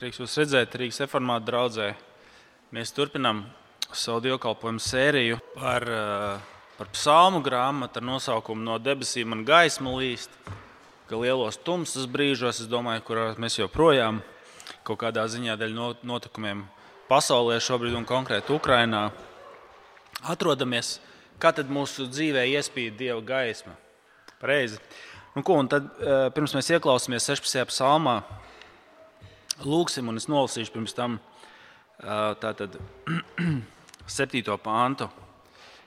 Prieks jūs redzēt Rīgas reformātu draudzē. Mēs turpinām savu dievkalpojumu sēriju par psalmu grāmatu ar nosaukumu No debesīm man gaisma līst, ka lielos tumsas brīžos, es domāju, kurā mēs joprojām kaut kādā ziņā dēļ notikumiem pasaulē šobrīd un konkrēti Ukrainā atrodamies, kā tad mūsu dzīvē iespīd Dieva gaisma. Pareizi. Un tad pirms mēs ieklausāmies 16. psalmā, lūksim, un es nolasīšu pirms tam tātad 7. pāntu.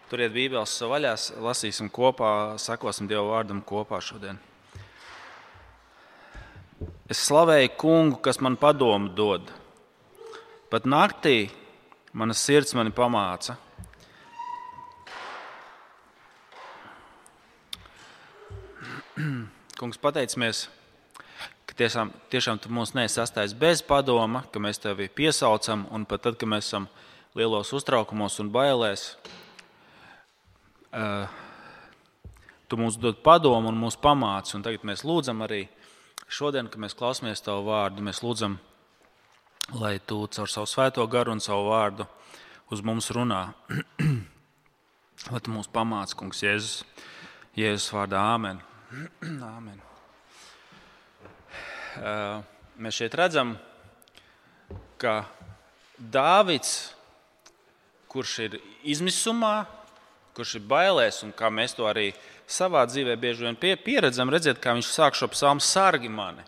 Turiet Bībeles vaļā, lasīsim kopā, sakosim Dieva vārdam kopā šodien. Es slavēju Kungu, kas man padomu dod. Pat naktī mana sirds mani pamāca. Kungs, pateicamies, ka tiešām tu mūs neesi atstājis bez padoma, ka mēs tevi piesaucam, un pat tad, kad mēs esam lielos uztraukumos un bailēs, tu mums dod padomu un mūs pamāci. Un tagad mēs lūdzam arī šodien, kad mēs klausāmies tavu vārdu, mēs lūdzam, lai tu caur savu svēto garu un savu vārdu uz mums runā. Lai tu mūs pamāci, Kungs, Jēzus vārdā. Āmen. Āmen. Mēs šeit redzam, ka Dāvids, kurš ir izmisumā, kurš ir bailēs, un kā mēs to arī savā dzīvē bieži vien pieredzam, redzēt, kā viņš sāk šo psalmu sargi mani.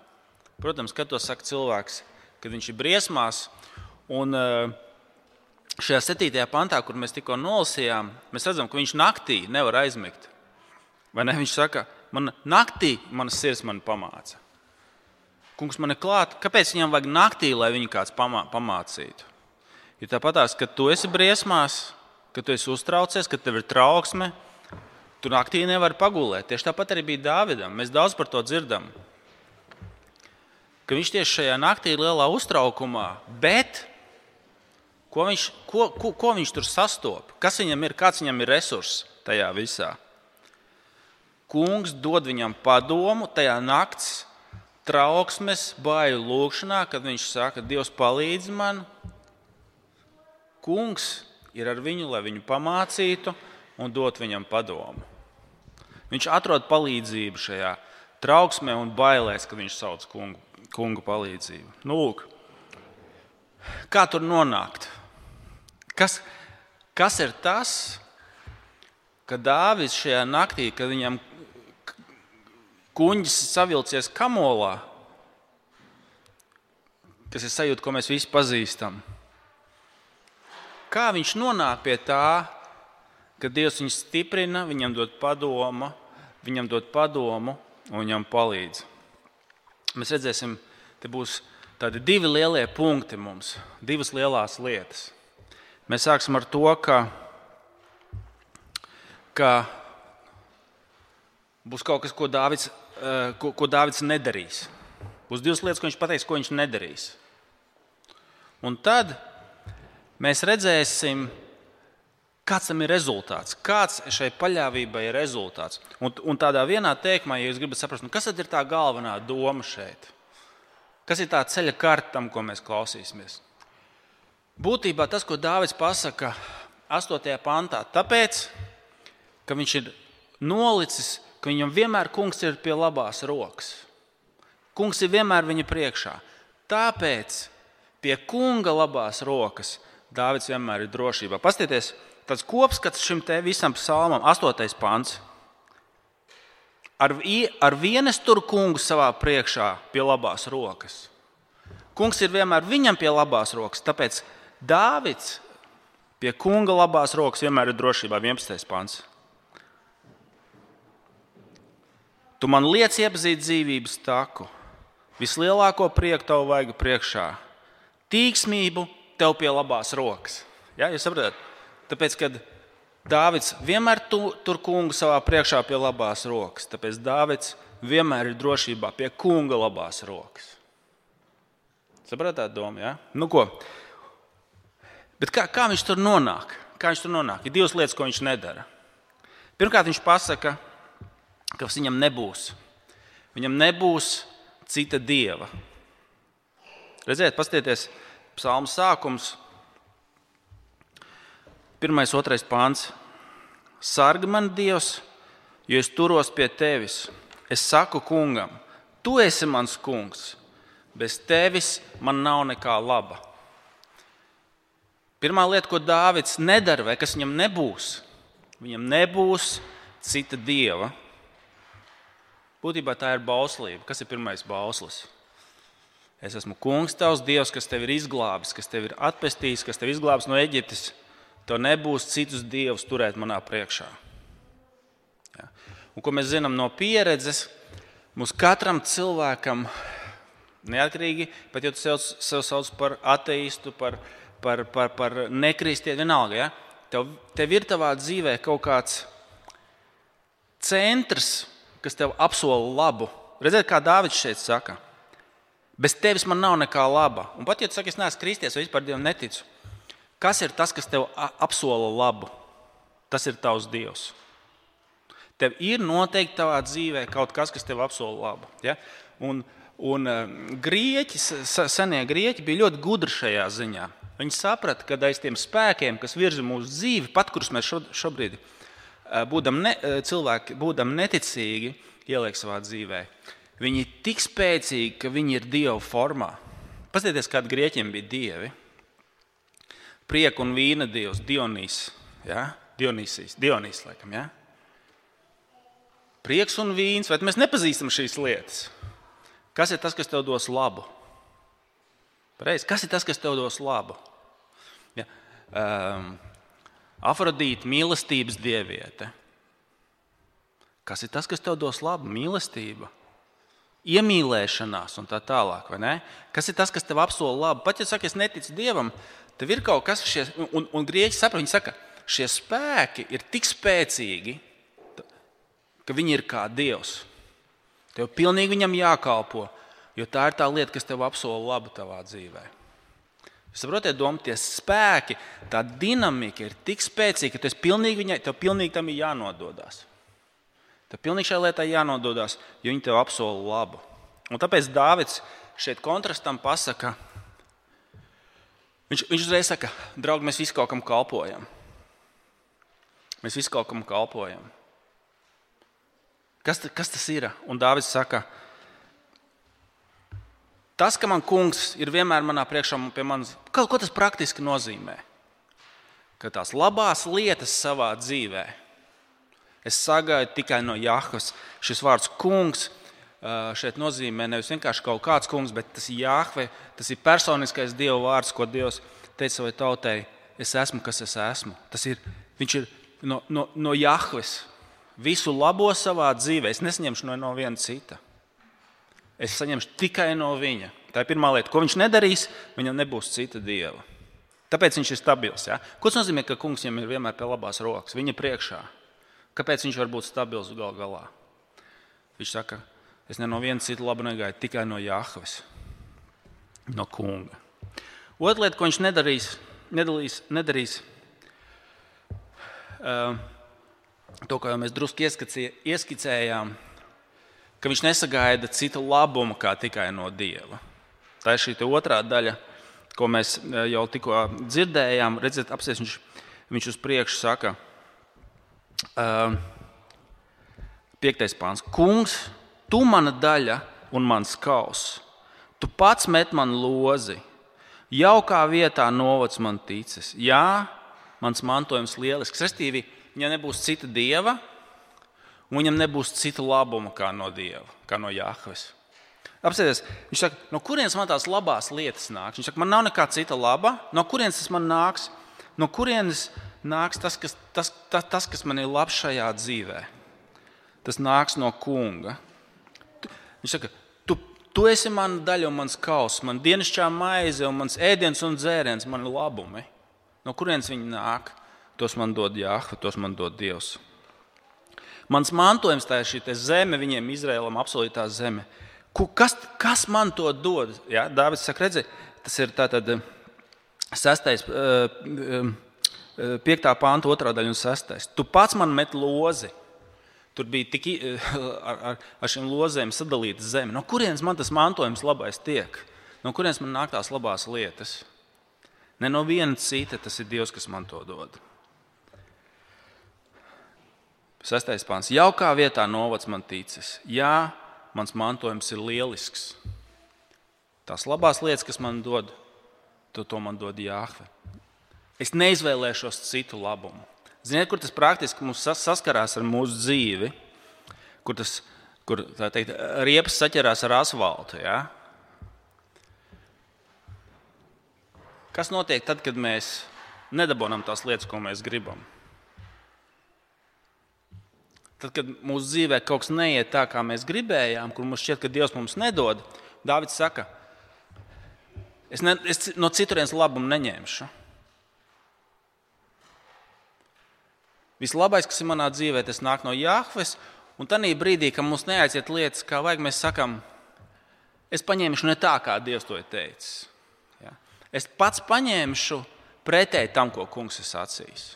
Protams, kad to saka cilvēks, kad viņš ir briesmās, un šajā 7. pantā, kur mēs tikko nolasījām, mēs redzam, ka viņš naktī nevar aizmigt. Vai ne? Viņš saka, man naktī manas sirds mani pamāca. Kungs man ir klāt, kāpēc viņam vajag naktī, lai viņu kāds pamācītu? Jo tāpatās, kad tu esi briesmās, kad tu esi uztraucies, kad tev ir trauksme, tu naktī nevari pagulēt. Tieši tāpat arī bija Dāvidam. Mēs daudz par to dzirdam. Ka viņš tieši šajā naktī ir lielā uztraukumā, bet ko viņš tur sastop? Kas viņam ir, kāds viņam ir resurss tajā visā? Kungs dod viņam padomu tajā nakts trauksmes, baiļu lūkšanā, kad viņš saka, Dievs palīdz man. Kungs ir ar viņu, lai viņu pamācītu un dot viņam padomu. Viņš atrod palīdzību šajā trauksmē un bailēs, kad viņš sauc kungu palīdzību. Nu, lūk, kā tur nonākt? Kas ir tas, ka Dāvids šajā naktī, kad viņam kuņģis savilcies kamolā, kas ir sajūta, ko mēs visi pazīstam, kā viņš nonāk pie tā, ka Dievs viņu stiprina, viņam dod padomu un viņam palīdz. Mēs redzēsim, te būs tādi 2 lielie punkti mums, 2 lielās lietas. Mēs sāksim ar to, ka būs kaut kas, ko Dāvids nedarīs. Būs 2 lietas, ko viņš pateiks, ko viņš nedarīs. Un tad mēs redzēsim, kāds tam ir rezultāts, kāds šai paļāvībai ir rezultāts. Un tādā vienā teikumā, ja jūs gribat saprast, kas tad ir tā galvenā doma šeit? Kas ir tā ceļa karta tam, ko mēs klausīsimies? Būtībā tas, ko Dāvids pasaka 8. pantā, tāpēc, ka viņš ir nolicis, ka viņam vienmēr kungs ir pie labās rokas. Kungs ir vienmēr viņa priekšā. Tāpēc pie kunga labās rokas Dāvids vienmēr ir drošībā. Pastieties, tāds kopskats šim te visam psalmam, 8. pants. Ar vienas tur kungu savā priekšā pie labās rokas. Kungs ir vienmēr viņam pie labās rokas, tāpēc Dāvids pie kunga labās rokas vienmēr ir drošībā. 11. pants. Tu man liec iepazīt dzīvības taku, vislielāko prieku tavu vaigu priekšā, tīksmību tev pie labās rokas. Ja, jūs saprotat? Tāpēc, kad Dāvids vienmēr tur kungu savā priekšā pie labās rokas, tāpēc Dāvids vienmēr ir drošībā pie kunga labās rokas. Saprotat domu, ja? Nu ko? Bet kā viņš tur nonāk? Ir 2 lietas, ko viņš nedara. Pirmkārt, viņš pasaka, ka viņam nebūs cita dieva. Redziet, paskatieties, psalma sākums, 1.2. pāns. Sargi man, Dievs, jo es turos pie tevis. Es saku kungam, tu esi mans kungs. Bez tevis man nav nekā laba. Pirmā lieta, ko Dāvids nedara, vai kas viņam nebūs cita dieva. Būtībā tā ir bauslība. Kas ir pirmais bauslis? Es esmu kungs tavs Dievs, kas tevi ir izglābis, kas tevi ir atpestījis, kas tevi izglābis no Eģiptes. Tev nebūs citus dievus turēt manā priekšā. Ja. Un ko mēs zinām no pieredzes, mums katram cilvēkam, neatkarīgi, pat ja tu sev sauc par ateistu, par nekristieti, vienalga, ja? Tev ir tavā dzīvē kaut kāds centrs, kas tev apsola labu. Redziet, kā Dāvids šeit saka. Bez tevis man nav nekā laba. Un pat, ja tu saki, es neesmu kristies vai vispār Dievam neticu, kas ir tas, kas tev apsola labu? Tas ir tavs Dievs. Tev ir noteikti tavā dzīvē kaut kas tev apsola labu. Ja? Un grieķi, senie grieķi bija ļoti gudri šajā ziņā. Viņi saprata, ka aiz tiem spēkiem, kas virza mūsu dzīvi, pat kurus mēs šobrīd cilvēki, būdam neticīgi, ieliek savā dzīvē, viņi ir tik spēcīgi, ka viņi ir Dieva formā. Paskatieties, kādi grieķiem bija dievi. Prieka un vīna dievs, Dionīs, ja? Dionīs, laikam, ja? Prieks un vīns, vai mēs nepazīstam šīs lietas? Kas ir tas, kas tev dos labu? Pareizi, kas ir tas, kas tev dos labu? Ja? Afrodīte, mīlestības dieviete. Kas ir tas, kas tev dos labu? Mīlestība, iemīlēšanās un tā tālāk, vai ne? Kas ir tas, kas tev apsola labu? Pat ja saka, es neticu Dievam, tev ir kaut kas, un grieķi saprot, viņi saka, šie spēki ir tik spēcīgi, ka viņi ir kā Dievs. Tev pilnīgi viņam jākalpo, jo tā ir tā lieta, kas tev apsola labu tavā dzīvē. Saprotiet, doma, tie spēki, tā dinamika ir tik spēcīga, ka tev pilnīgi tam ir jānododās. Tev pilnīgi šai lietai jānododās, jo viņi tev apsola labu. Un tāpēc Dāvids šeit kontrastam pasaka, viņš uzreiz saka, draugi, mēs visi kaut kam kalpojam. Mēs visi kaut kam kalpojam. Kas tas ir? Un Dāvids saka, tas, ka man kungs ir vienmēr manā priekšā un pie manis, ko tas praktiski nozīmē? Ka tās labās lietas savā dzīvē es sagaidu tikai no Jahves. Šis vārds kungs šeit nozīmē nevis vienkārši kaut kāds kungs, bet tas ir Jahve, tas ir personiskais Dieva vārds, ko Dievs teica savai tautai, es esmu, kas es esmu. Viņš ir no Jahves. Visu labo savā dzīvē es nesaņemšu no viena cita. Es saņemšu tikai no viņa. Tā ir pirmā lieta. Ko viņš nedarīs, viņam nebūs cita dieva. Tāpēc viņš ir stabils. Ja? Ko tas nozīmē, ka kungs viņam ir vienmēr pie labās rokas, viņa priekšā? Kāpēc viņš var būt stabils gal galā? Viņš saka, es ne no viena cita labu negaidu, tikai no Jahves, no kunga. Otra lieta, ko viņš nedarīs to, ko jau mēs drusku ieskicējām, ka viņš nesagaida cita labuma kā tikai no Dieva. Tā ir šī otrā daļa, ko mēs jau tikko dzirdējām. Redziet, apsies, viņš uz priekšu saka, 5. pāns. Kungs, tu mana daļa un mans kauss. Tu pats met man lozi. Jaukā vietā novads man ticis. Jā, mans mantojums lielisks. Restīvi, viņam nebūs cita dieva, un viņam nebūs cita labuma kā no Dieva, kā no Jahves. Apsēties, viņš saka, no kurienes man tās labās lietas nāks? Viņš saka, man nav nekā cita laba. No kurienes tas man nāks? No kurienes nāks tas, kas man ir labs šajā dzīvē? Tas nāks no kunga. Viņš saka, tu esi mana daļa un mans kauss, man dienasčā maize un mans ēdiens un dzēriens, mani labumi. No kurienes viņi nāk? Tos man dod Jahve, tos man dod Dievs. Mans mantojums, tā ir šī zeme, viņiem Izraēlam apsolītā zeme. Kas man to dod? Ja? Dāvids saka, redzi, tas ir tātad 5. pānta 2. daļa un 6. Tu pats man met lozi. Tur bija tik ar šīm lozēm sadalīta zeme. No kurienes man tas mantojums labais tiek? No kurienes man nāk tās labās lietas? Ne no viena cita, tas ir Dievs, kas man to dod. 6. pāns. Jaukā vietā novads man ticis. Jā, mans mantojums ir lielisks. Tās labās lietas, kas man dod, to man dod Jāhve. Es neizvēlēšos citu labumu. Ziniet, kur tas praktiski mums saskarās ar mūsu dzīvi, kur tā teikt, riepas saķerās ar asfaltu. Ja? Kas notiek tad, kad mēs nedabonam tās lietas, ko mēs gribam? Tad, kad mūsu dzīvē kaut kas neiet tā, kā mēs gribējām, kur mums šķiet, ka Dievs mums nedod, Dāvids saka, es no citurienes labumu neņemšu. Vislabais, kas ir manā dzīvē, tas nāk no Jāhves, un tanī brīdī, kad mums neaiziet lietas, kā vajag, mēs sakam, es paņemšu ne tā, kā Dievs to ir teicis. Ja? Es pats paņemšu pretēji tam, ko kungs ir sacījis.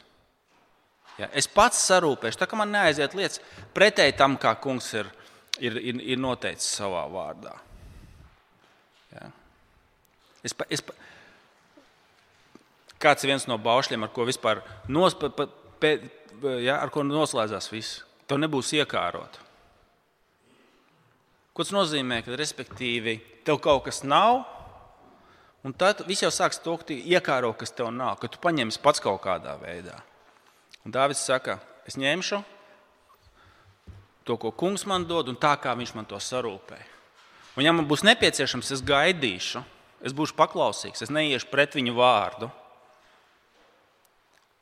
Ja? Es pats sarūpēšu, tā kā man neaiziet lietas pretēji tam, kā kungs ir noteicis savā vārdā. Ja? Kāds ir viens no baušļiem, ar ko vispār ar ko noslēdzās viss? To nebūs iekārot. Ko tas nozīmē, ka respektīvi tev kaut kas nav, un tad viss jau sāks to, ka tu iekāro, kas tev nav, ka tu paņemsi pats kaut kādā veidā. Un Dāvids saka, es ņemšu to, ko kungs man dod, un tā, kā viņš man to sarūpē. Un ja man būs nepieciešams, es gaidīšu, es būšu paklausīgs, es neiešu pret viņu vārdu.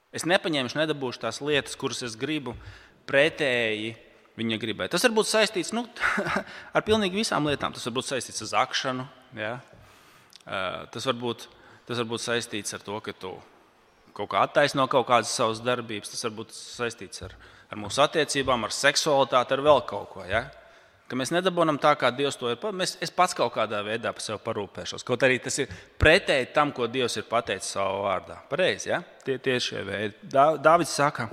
Es nepaņemšu, nedabūšu tās lietas, kuras es gribu pretēji viņa gribai. Tas var būt saistīts ar pilnīgi visām lietām. Tas var būt saistīts ar zakšanu. Ja? Tas var būt saistīts ar to, ka tu kaut kā attaisno kaut kādas savas darbības. Tas var būt saistīts ar mūsu attiecībām, ar seksualitāti, ar vēl kaut ko. Ja? Ka mēs nedabonam tā, kā Dievs to ir. Es pats kaut kādā veidā par sevi parūpēšos. Kaut arī tas ir pretēji tam, ko Dievs ir pateicis savā vārdā. Pareizi, ja? Tie ir šie veidi. Dāvids saka,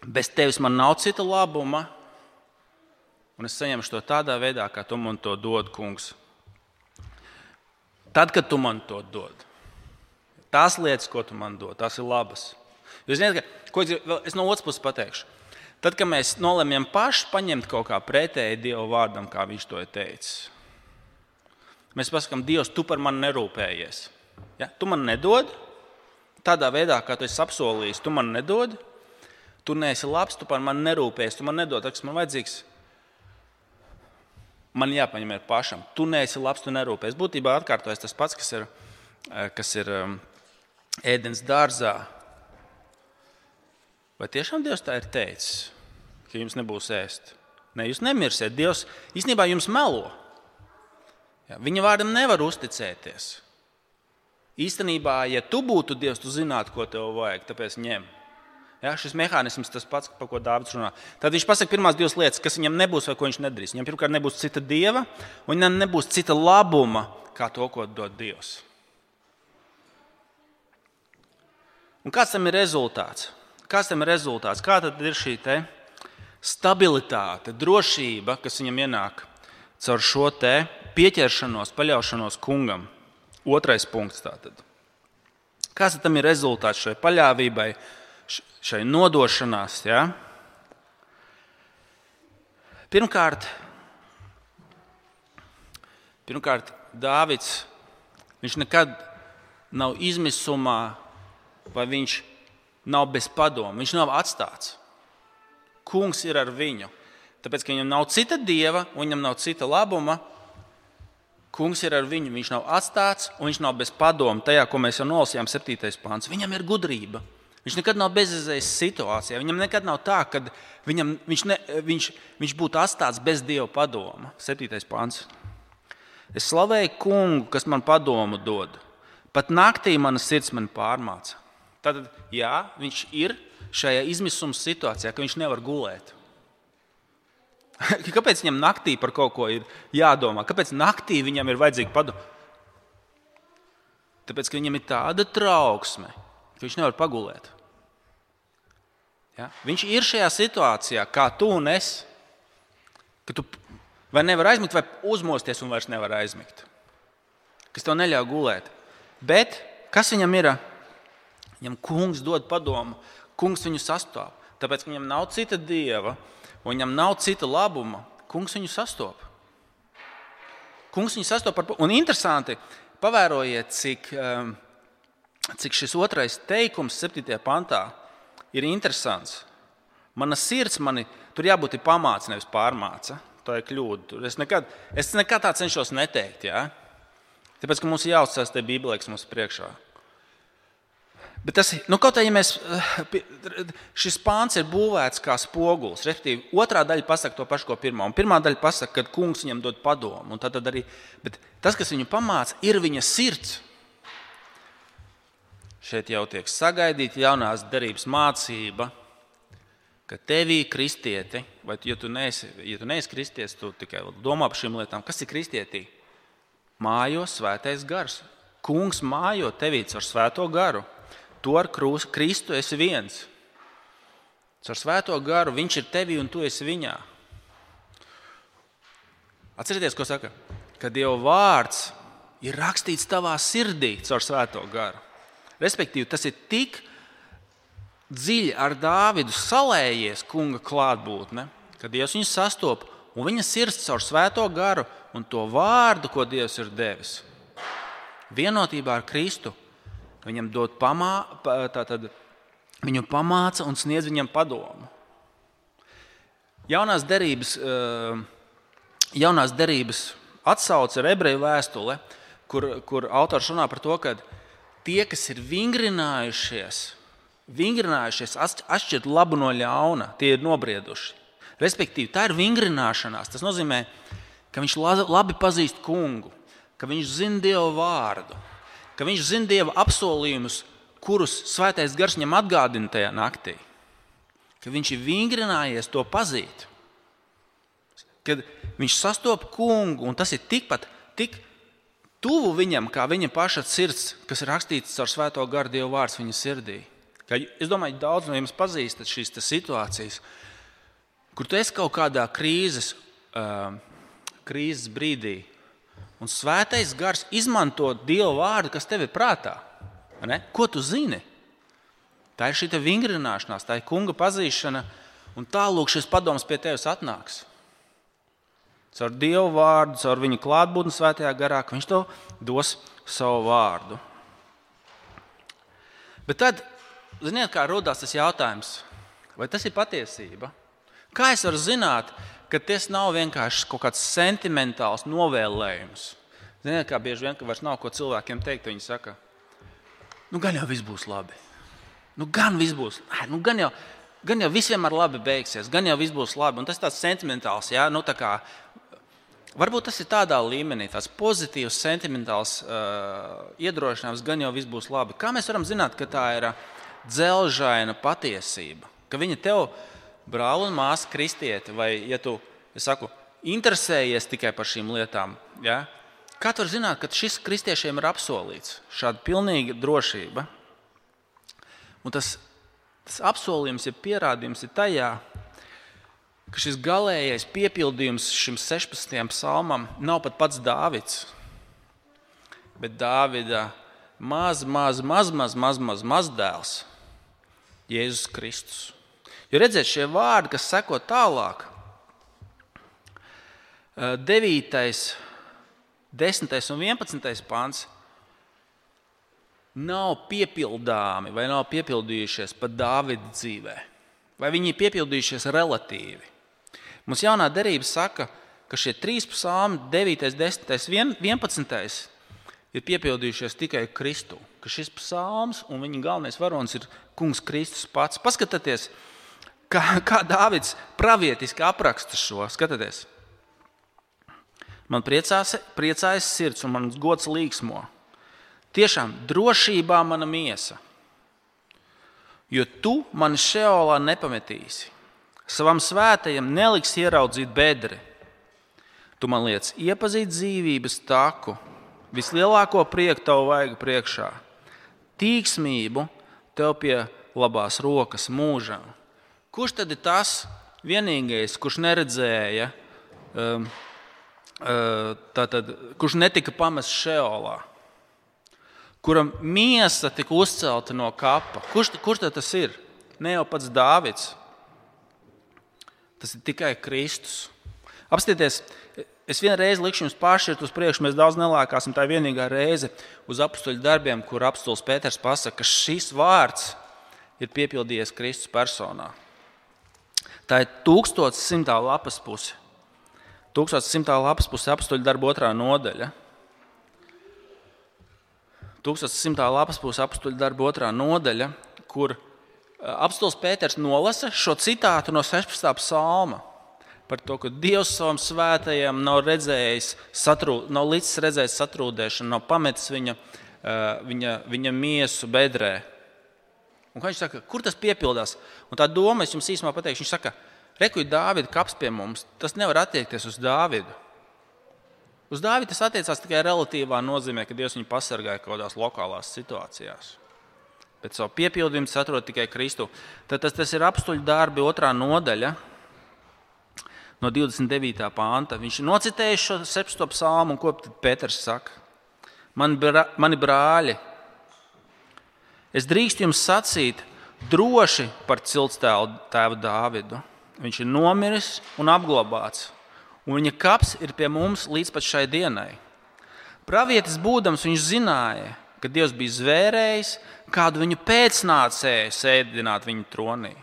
bez tevis man nav cita labuma, un es saņemšu to tādā veidā, kā tu man to dod, kungs. Tad, kad tu man to dod, tās lietas, ko tu man dod, tās ir labas. Jūs zināt, es no otras puses pateikšu. Tad, kad mēs nolemjam paši paņemt kaut kā pretēji Dieva vārdam, kā viņš to ir teicis, mēs pasakām, Dievs, tu par mani nerūpējies. Ja? Tu man nedod, tādā veidā, kā tu esi apsolījis, tu man nedod, tu neesi labs, tu par mani nerūpējies, tu man nedod, tas man vajadzīgs. Man jāpaņem ir pašam. Tu neesi labs, tu nerūpējies. Būtībā atkārtojas tas pats, kas ir ēdens dārzā. Vai tiešām Dievs tā ir teicis, ka jums nebūs ēst? Ne, jūs nemirsiet. Dievs īstenībā jums melo. Ja, viņa vārdam nevar uzticēties. Īstenībā, ja tu būtu Dievs, tu zinātu, ko tev vajag, tāpēc ņem. Ja, šis mehānisms tas pats, par ko Dāvids runā. Tad viņš pasaka pirmās divas lietas, kas viņam nebūs vai ko viņš nedarīs. Viņam pirmkārt nebūs cita Dieva, un viņam nebūs cita labuma, kā to, ko dod Dievs. Un kāds tam ir rezultāts? Kā tad ir šī stabilitāte, drošība, kas viņam ienāk caur šo pieķeršanos, paļaušanos kungam? 2. punkts tātad. Kāds tam ir rezultāts šai paļāvībai, šai nodošanās? Ja? Pirmkārt, Dāvids, viņš nekad nav izmisumā, vai viņš nav bez padomu, viņš nav atstāts. Kungs ir ar viņu. Tāpēc, ka viņam nav cita Dieva un viņam nav cita labuma, kungs ir ar viņu, viņš nav atstāts un viņš nav bez padomu. Tajā, ko mēs jau nolasījām 7. pāns, viņam ir gudrība. Viņš nekad nav bezizējas situācijā. Viņam nekad nav tā, ka viņš būtu atstāts bez Dieva padoma. 7. pāns. Es slavēju kungu, kas man padomu dod. Pat naktī mana sirds man pārmāca. Tātad, jā, viņš ir šajā izmisuma situācijā, ka viņš nevar gulēt. Kāpēc viņam naktī par kaut ko ir jādomā? Kāpēc naktī viņam ir vajadzīga padoma? Tāpēc, ka viņam ir tāda trauksme, ka viņš nevar pagulēt. Ja? Viņš ir šajā situācijā, kā tu un es. Vai nevar aizmigt, vai uzmosties un vairs nevar aizmigt. Kas tev neļauj gulēt. Bet kas viņam ir? Viņam kungs dod padomu, kungs viņu sastop. Tāpēc, ka viņam nav cita dieva, un viņam nav cita labuma, kungs viņu sastop. Kungs viņu sastop. Un interesanti, pavērojiet, cik šis otrais teikums 7. pantā ir interesants. Mana sirds tur jābūt pamāca, nevis pārmāca. Tā ir kļūda. Es nekad tā cenšos neteikt. Ja? Tāpēc, ka mums ir jāuzticas tai Bībelē, kas mums priekšā. Bet tas, kaut arī, šis pāns ir būvēts kā spogulis. Respektīvi, otrā daļa pasaka to pašu, ko pirmā. Un pirmā daļa pasaka, ka kungs viņam dod padomu. Un tad arī, bet tas, kas viņu pamāca, ir viņa sirds. Šeit jau tiek sagaidīta jaunās derības mācība, ka tevī kristieti, vai ja tu neesi kristietis, tu tikai domā par šīm lietām. Kas ir kristietī? Mājo svētais gars. Kungs mājo tevī caur svēto garu. Tu ar Kristu esi viens. Caur svēto garu viņš ir tevī un tu esi viņā. Atcerieties, ko saka? Ka Dieva vārds ir rakstīts tavā sirdī caur svēto garu. Respektīvi, tas ir tik dziļi ar Dāvidu salējies kunga klātbūtne, ka Dievs viņu sastop un viņa sirds caur svēto garu un to vārdu, ko Dievs ir devis. Vienotībā ar Kristu viņam dod viņu pamāca un sniedz viņam padomu. Jaunās derības atsauce ir Ebreju vēstule, kur autors runā par to, ka tie, kas ir vingrinājušies atšķirt labu no ļauna, tie ir nobrieduši. Respektīvi, tā ir vingrināšanās. Tas nozīmē, ka viņš labi pazīst kungu, ka viņš zina Dieva vārdu, ka viņš zina Dieva apsolījumus, kurus svētais gars viņam atgādina tajā naktī. Ka viņš ir vingrinājies to pazīt. Kad viņš sastop kungu, un tas ir tik tuvu viņam, kā viņa paša sirds, kas ir rakstīts caur svēto garu Dieva vārds viņa sirdī. Es domāju, daudz no jums pazīstat šīs situācijas, kur tu esi kaut kādā krīzes brīdī, un svētais gars izmanto Dieva vārdu, kas tev ir prātā. Ne? Ko tu zini? Tā ir šī vingrināšanās, tā ir kunga pazīšana, un tālūk šis padoms pie tevis atnāks. Caur Dieva vārdu, caur viņa klātbūtni svētajā garā, ka viņš tev dos savu vārdu. Bet tad, ziniet, kā rodās tas jautājums, vai tas ir patiesība? Kā es varu zināt, ka tas nav vienkārši kaut kāds sentimentāls novēlējums? Ziniet, kā bieži vien, ka vairs nav ko cilvēkiem teikt, viņi saka, gan jau viss būs labi. Gan jau viss vienmēr labi beigsies, gan jau viss būs labi. Un tas tāds sentimentāls, ja? Varbūt tas ir tādā līmenī, tāds pozitīvs, sentimentāls iedrošinājums, gan jau viss būs labi. Kā mēs varam zināt, ka tā ir dzelžaina patiesība? Ka viņa tev, brāl un māsa kristieti, vai, ja tu, interesējies tikai par šīm lietām, ja? Kā tu vari zināt, ka šis kristiešiem ir apsolīts? Šāda pilnīga drošība. Un tas apsolījums, ja pierādījums ir tajā, ka šis galējais piepildījums šim 16. psalmam nav pat pats Dāvids, bet Dāvida mazdēls, Jēzus Kristus. Jo redziet, šie vārdi, kas seko tālāk, 9., 10. un 11. pāns, nav piepildāmi vai nav piepildījušies pat Dāvida dzīvē. Vai viņi ir piepildījušies relatīvi. Mums jaunā derība saka, ka šie 3 psalmi, 9., 10., 11. ir piepildījušies tikai Kristu. Ka šis psalms un viņa galvenais varonis ir kungs Kristus pats. Paskatieties, kā Dāvids pravietiski apraksta šo. Skatieties. Man priecājas sirds un mans gods līksmo. Tiešām drošībā mana miesa, jo tu mani šeolā nepametīsi. Savam svētajam neliks ieraudzīt bedri. Tu man liec iepazīt dzīvības taku, vislielāko prieku tavu vaigu priekšā. Tīksmību tev pie labās rokas mūžam. Kurš tad ir tas vienīgais, kurš neredzēja kurš netika pamests Šeolā, kuram miesa tika uzcelta no kapa. Kurš tas ir? Ne jau pats Dāvids. Tas ir tikai Kristus. Apstieties, es vienreiz likšu jums pāršķirt uz priekšu, mēs daudz nelēkāsim, tā ir vienīgā reize uz apustuļu darbiem, kur apustulis Pēters pasaka, ka šis vārds ir piepildījies Kristus personā. Tā ir 1100. lapas puse. 1100. lapas puse apustuļu darbu 2. nodaļa. 1100. lapas puse apustuļu darbu 2. nodaļa, kur apustulis Pēters nolasa šo citātu no 16. psalma par to, ka Dievs savam svētajam nav līdz redzējis satrūdēšanu, nav pametis viņa miesu bedrē. Un kā viņš saka, kur tas piepildās? Un tā doma, es jums īsumā pateikšu, viņš saka, rekuj Dāvida kaps pie mums, tas nevar attiekties uz Dāvidu. Uz Dāvidu tas attiecās tikai relatīvā nozīmē, ka Dievs viņu pasargāja kaut kādās lokālās situācijās. Bet savu piepildījumu atrod tikai Kristu. Tad tas ir apustuļu darbi 2. nodaļa no 29. panta. Viņš ir nocitējis šo 17. psalmu, un ko Pēters saka? Mani brāļi, es drīkstu jums sacīt droši par ciltstēvu Dāvidu. Viņš ir nomiris un apglabāts, un viņa kaps ir pie mums līdz pat šai dienai. Pravietis būdams viņš zināja, ka Dievs bija zvērējis kādu viņu pēcnācēju sēdināt viņa tronī.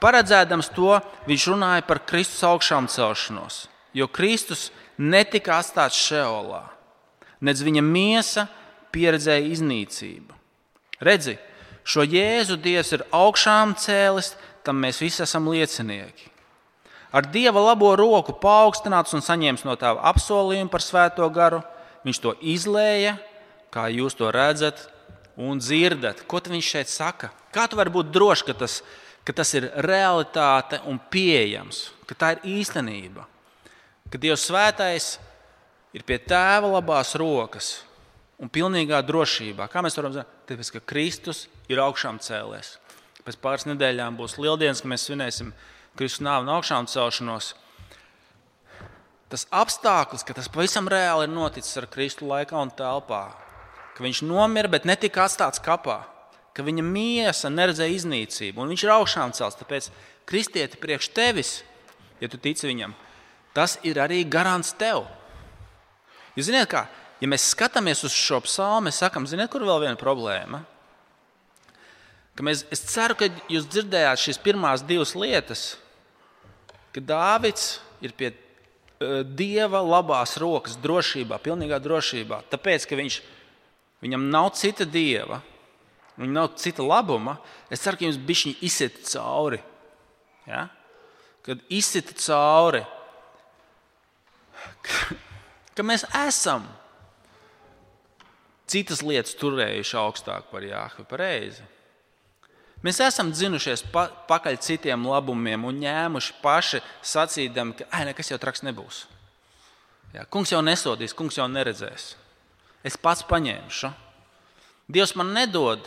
Paredzēdams to, viņš runāja par Kristus augšām celšanos, jo Kristus netika atstāts Šeolā, nedz viņa miesa pieredzēja iznīcību. Redzi, šo Jēzu Dievs ir augšām cēlis, tam mēs visi esam liecinieki. Ar Dieva labo roku paaugstināts un saņēmis no Tēva apsolījumu par Svēto garu, viņš to izlēja, kā jūs to redzat un dzirdat. Ko viņš šeit saka? Kā tu vari būt drošs, ka tas ir realitāte un pieejams, ka tā ir īstenība, ka Dievs svētais ir pie Tēva labās rokas un pilnīgā drošībā. Kā mēs varam zināt? Tāpēc, ka Kristus ir augšām cēlies. Pēc pāris nedēļām būs lieldienas, ka mēs svinēsim Kristus nāvi un augšām celšanos. Tas apstākļus, ka tas pavisam reāli ir noticis ar Kristu laikā un telpā, ka viņš nomira, bet netika atstāts kapā, ka viņa miesa neredzēja iznīcību, un viņš ir augšām celts. Tāpēc kristieti priekš tevis, ja tu tici viņam, tas ir arī garants tev. Jūs ziniet kā, ja mēs skatāmies uz šo psalmu, mēs sakam, ziniet, kur vēl viena problēma? Es ceru, ka jūs dzirdējāt šīs pirmās divas lietas, ka Dāvids ir pie Dieva labās rokas drošībā, pilnīgā drošībā, tāpēc, ka viņam nav cita Dieva, viņam nav cita labuma. Es ceru, ka jums bišķiņi izsita cauri. Ja? Kad izsita cauri, ka mēs esam citas lietas turējuši augstāk par Jāhvi, pareizi. Mēs esam dzinušies pakaļ citiem labumiem un ņēmuši paši sacīdami, ka nekas jau traks nebūs. Jā, kungs jau nesodīs, kungs jau neredzēs. Es pats paņemšu. Dievs man nedod.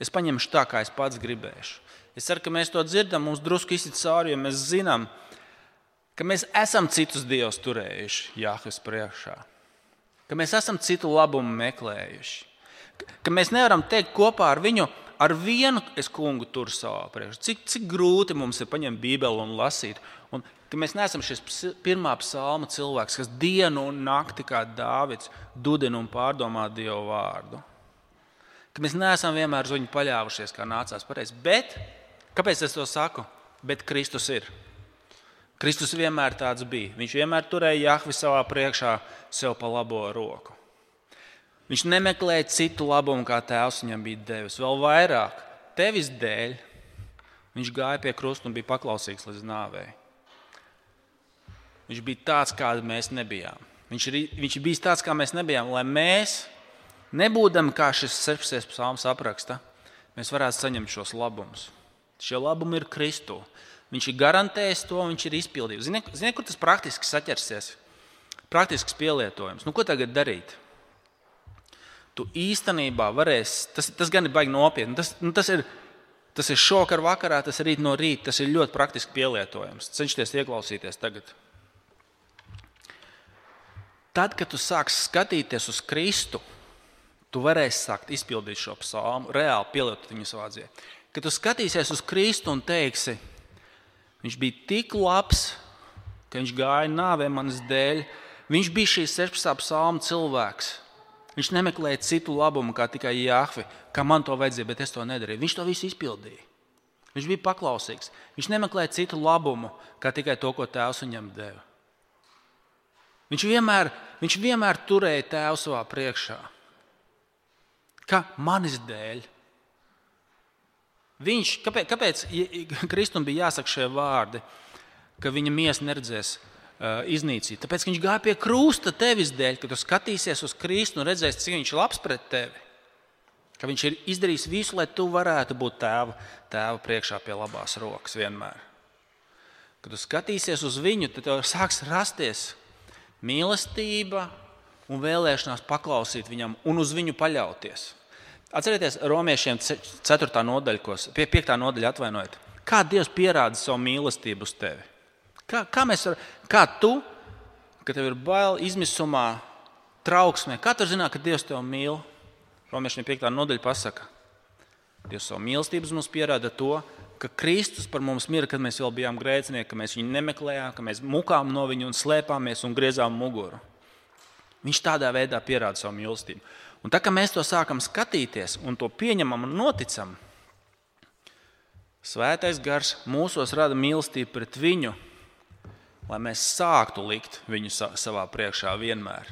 Es paņemšu tā, kā es pats gribēšu. Es ceru, ka mēs to dzirdam, mums drusku izsit cauri, jo mēs zinām, ka mēs esam citus dievus turējuši Jāhves priekšā. Ka mēs esam citu labumu meklējuši. Ka mēs nevaram teikt kopā ar viņu, ar vienu es kungu turu savā priekšā. Cik grūti mums ir paņemt Bībeli un lasīt. Un ka mēs neesam šis pirmā psalma cilvēks, kas dienu un nakti kā Dāvids dudina un pārdomā Dievu vārdu. Ka mēs neesam vienmēr uz viņu paļāvušies, kā nācās pareizi. Bet, kāpēc es to saku? Bet Kristus ir. Kristus vienmēr tāds bija. Viņš vienmēr turēja Jahvi savā priekšā sev pa labo roku. Viņš nemeklēja citu labumu, kā Tēvs viņam bija devis. Vēl vairāk, tevis dēļ, viņš gāja pie krusta un bija paklausīgs līdz nāvei. Viņš bija tāds, kādi mēs nebijām. Viņš bija tāds, kā mēs nebijām, lai mēs, nebūdami kā šis 16. psalms apraksta, mēs varētu saņemt šos labumus. Šie labumi ir Kristū. Viņš ir garantējis to, viņš ir izpildījis. Ziniet, kur tas praktiski saķersies? Praktisks pielietojums. Ko tagad darīt? Tu īstenībā varēsi, tas gan ir baigi nopietni, tas ir šokar vakarā, tas ir rīt no rīta, tas ir ļoti praktiski pielietojams. Cenšties ieklausīties tagad. Tad, kad tu sāksi skatīties uz Kristu, tu varēsi sākt izpildīt šo psalmu, reāli pielietot viņu savā dzīvē. Kad tu skatīsies uz Kristu un teiksi, viņš bija tik labs, ka viņš gāja nāvē manas dēļ, viņš bija šīs 16. psalma cilvēks. Viņš nemeklēja citu labumu, kā tikai Jahvi, kā man to vajadzēja, bet es to nedarīju. Viņš to visu izpildīja. Viņš bija paklausīgs. Viņš nemeklēja citu labumu, kā tikai to, ko Tēvs viņam deva. Viņš vienmēr turēja Tēvu savā priekšā. Kā manis dēļ. Kāpēc Kristum bija jāsaka šie vārdi, ka viņa miesa neredzēs iznīcīt? Tāpēc, ka viņš gāja pie krusta tevis dēļ, ka tu skatīsies uz Kristu un redzēsi, cik viņš ir labs pret tevi. Ka viņš ir izdarījis visu, lai tu varētu būt tēva priekšā pie labās rokas vienmēr. Kad tu skatīsies uz viņu, tad tev sāks rasties mīlestība un vēlēšanās paklausīt viņam un uz viņu paļauties. Atcerieties Romiešiem 4. nodaļa, 5. nodaļa atvainojiet. Kā Dievs pierāda savu mīlestību uz tevi? Kā tu, kad tev ir bail, izmisumā, trauksmē, kā tu zināt, ka Dievs tev mīl? Romiešiem 5. nodaļa pasaka. Dievs savu mīlestības mums pierāda to, ka Kristus par mums mira, kad mēs vēl bijām grēcinieki, ka mēs viņu nemeklējām, ka mēs mukām no viņu un slēpāmies un griezām muguru. Viņš tādā veidā pierāda savu mīlestību. Un tā, ka mēs to sākam skatīties un to pieņemam un noticam, Svētais Gars mūsos rada mīlestību pret viņu, lai mēs sāktu likt viņu savā priekšā vienmēr.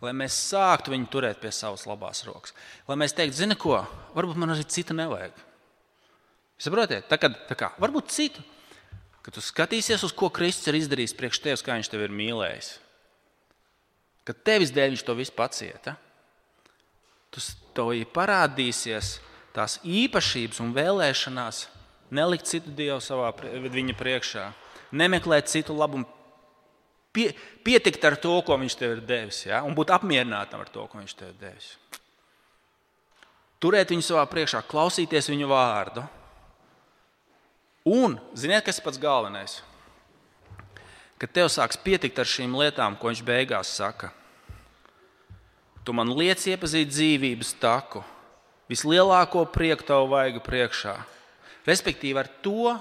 Lai mēs sāktu viņu turēt pie savas labās rokas. Lai mēs teiktu, zini ko, varbūt man arī citu nevajag. Saprotiet, tā kā, varbūt citu. Kad tu skatīsies, uz ko Kristus ir izdarījis priekš tevis, kā viņš tevi ir mīlējis. Kad tevis dēļ viņš to visu pacieta, tev parādīsies tās īpašības un vēlēšanās nelikt citu Dievu viņa priekšā, nemeklēt citu labumu, pietikt ar to, ko viņš tev ir devis, ja? Un būt apmierinātam ar to, ko viņš tev ir devis. Turēt viņu savā priekšā, klausīties viņu vārdu. Un, ziniet, kas ir pats galvenais? Kad tev sāks pietikt ar šīm lietām, ko viņš beigās saka. Tu man liec iepazīt dzīvības taku, vislielāko prieku tavu vaigu priekšā. Respektīvi ar to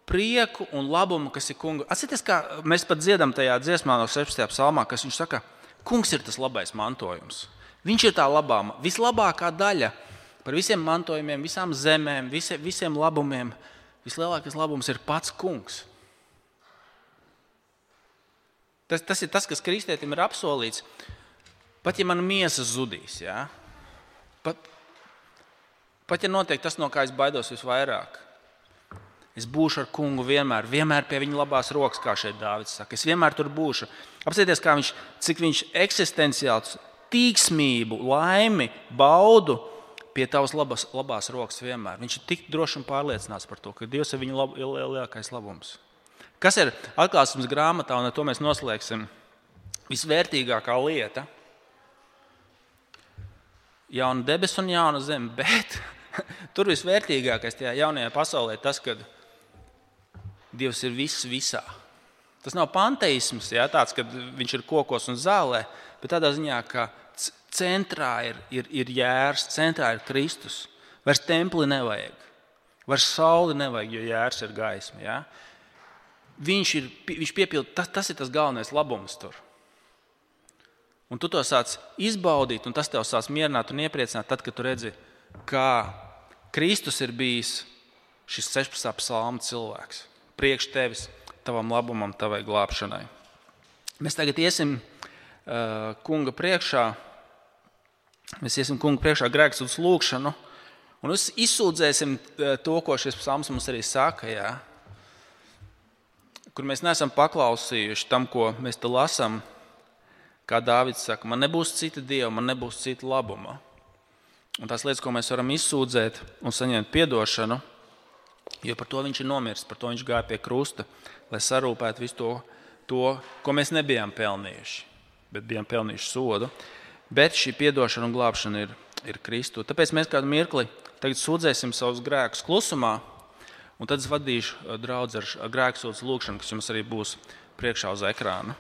prieku un labumu, kas ir kunga. Atcerieties, kā mēs pat dziedam tajā dziesmā no 16. psalmā, kas viņš saka, kungs ir tas labais mantojums. Viņš ir tā vislabākā daļa par visiem mantojumiem, visām zemēm, visiem labumiem. Vislielākais labums ir pats kungs. Tas ir tas, kas kristietim ir apsolīts. Pat ja mana miesa zudīs, ja? Pat ja notiek tas, no kā es baidos visvairāk, es būšu ar kungu vienmēr pie viņa labās rokas, kā šeit Dāvids saka. Es vienmēr tur būšu. Apsieties, cik viņš eksistenciāls tīksmību, laimi, baudu pie tavas labās rokas vienmēr. Viņš ir tik droši un pārliecināts par to, ka Dievs ir viņa lielākais labums. Kas ir atklāsmes grāmatā, un ar to mēs noslēgsim, visvērtīgākā lieta? Jauna debesis un jauna zeme, bet tur visvērtīgākais tajā jaunajā pasaulē ir tas, ka Dievs ir viss visā. Tas nav panteisms, ja, tāds, ka viņš ir kokos un zālē, bet tādā ziņā, ka centrā ir Jērs, centrā ir Kristus. Vairs templi nevajag, vairs sauli nevajag, jo Jērs ir gaisma. Ja. Viņš piepilda, tas ir tas galvenais labums tur. Un tu to sāc izbaudīt, un tas tev sāc mierināt un iepriecināt, tad, kad tu redzi, kā Kristus ir bijis šis 16. psalma cilvēks. Priekš tevis, tavam labumam, tavai glābšanai. Mēs tagad iesim kunga priekšā, grēksūdzes lūgšanu, un izsūdzēsim to, ko šis psalms mums arī saka, jā, kur mēs neesam paklausījuši tam, ko mēs te lasām. Kā Dāvids saka, man nebūs cita dieva, man nebūs cita labuma. Un tās lietas, ko mēs varam izsūdzēt un saņemt piedošanu, jo par to viņš ir nomiris, par to viņš gāja pie krusta, lai sarūpētu visu to, ko mēs nebijām pelnījuši, bet bijām pelnījuši sodu. Bet šī piedošana un glābšana ir Kristu. Tāpēc mēs kādu mirkli tagad sūdzēsim savus grēkus klusumā, un tad es vadīšu draudzi ar grēksūdzes lūgšanu, kas jums arī būs priekšā uz ekrāna.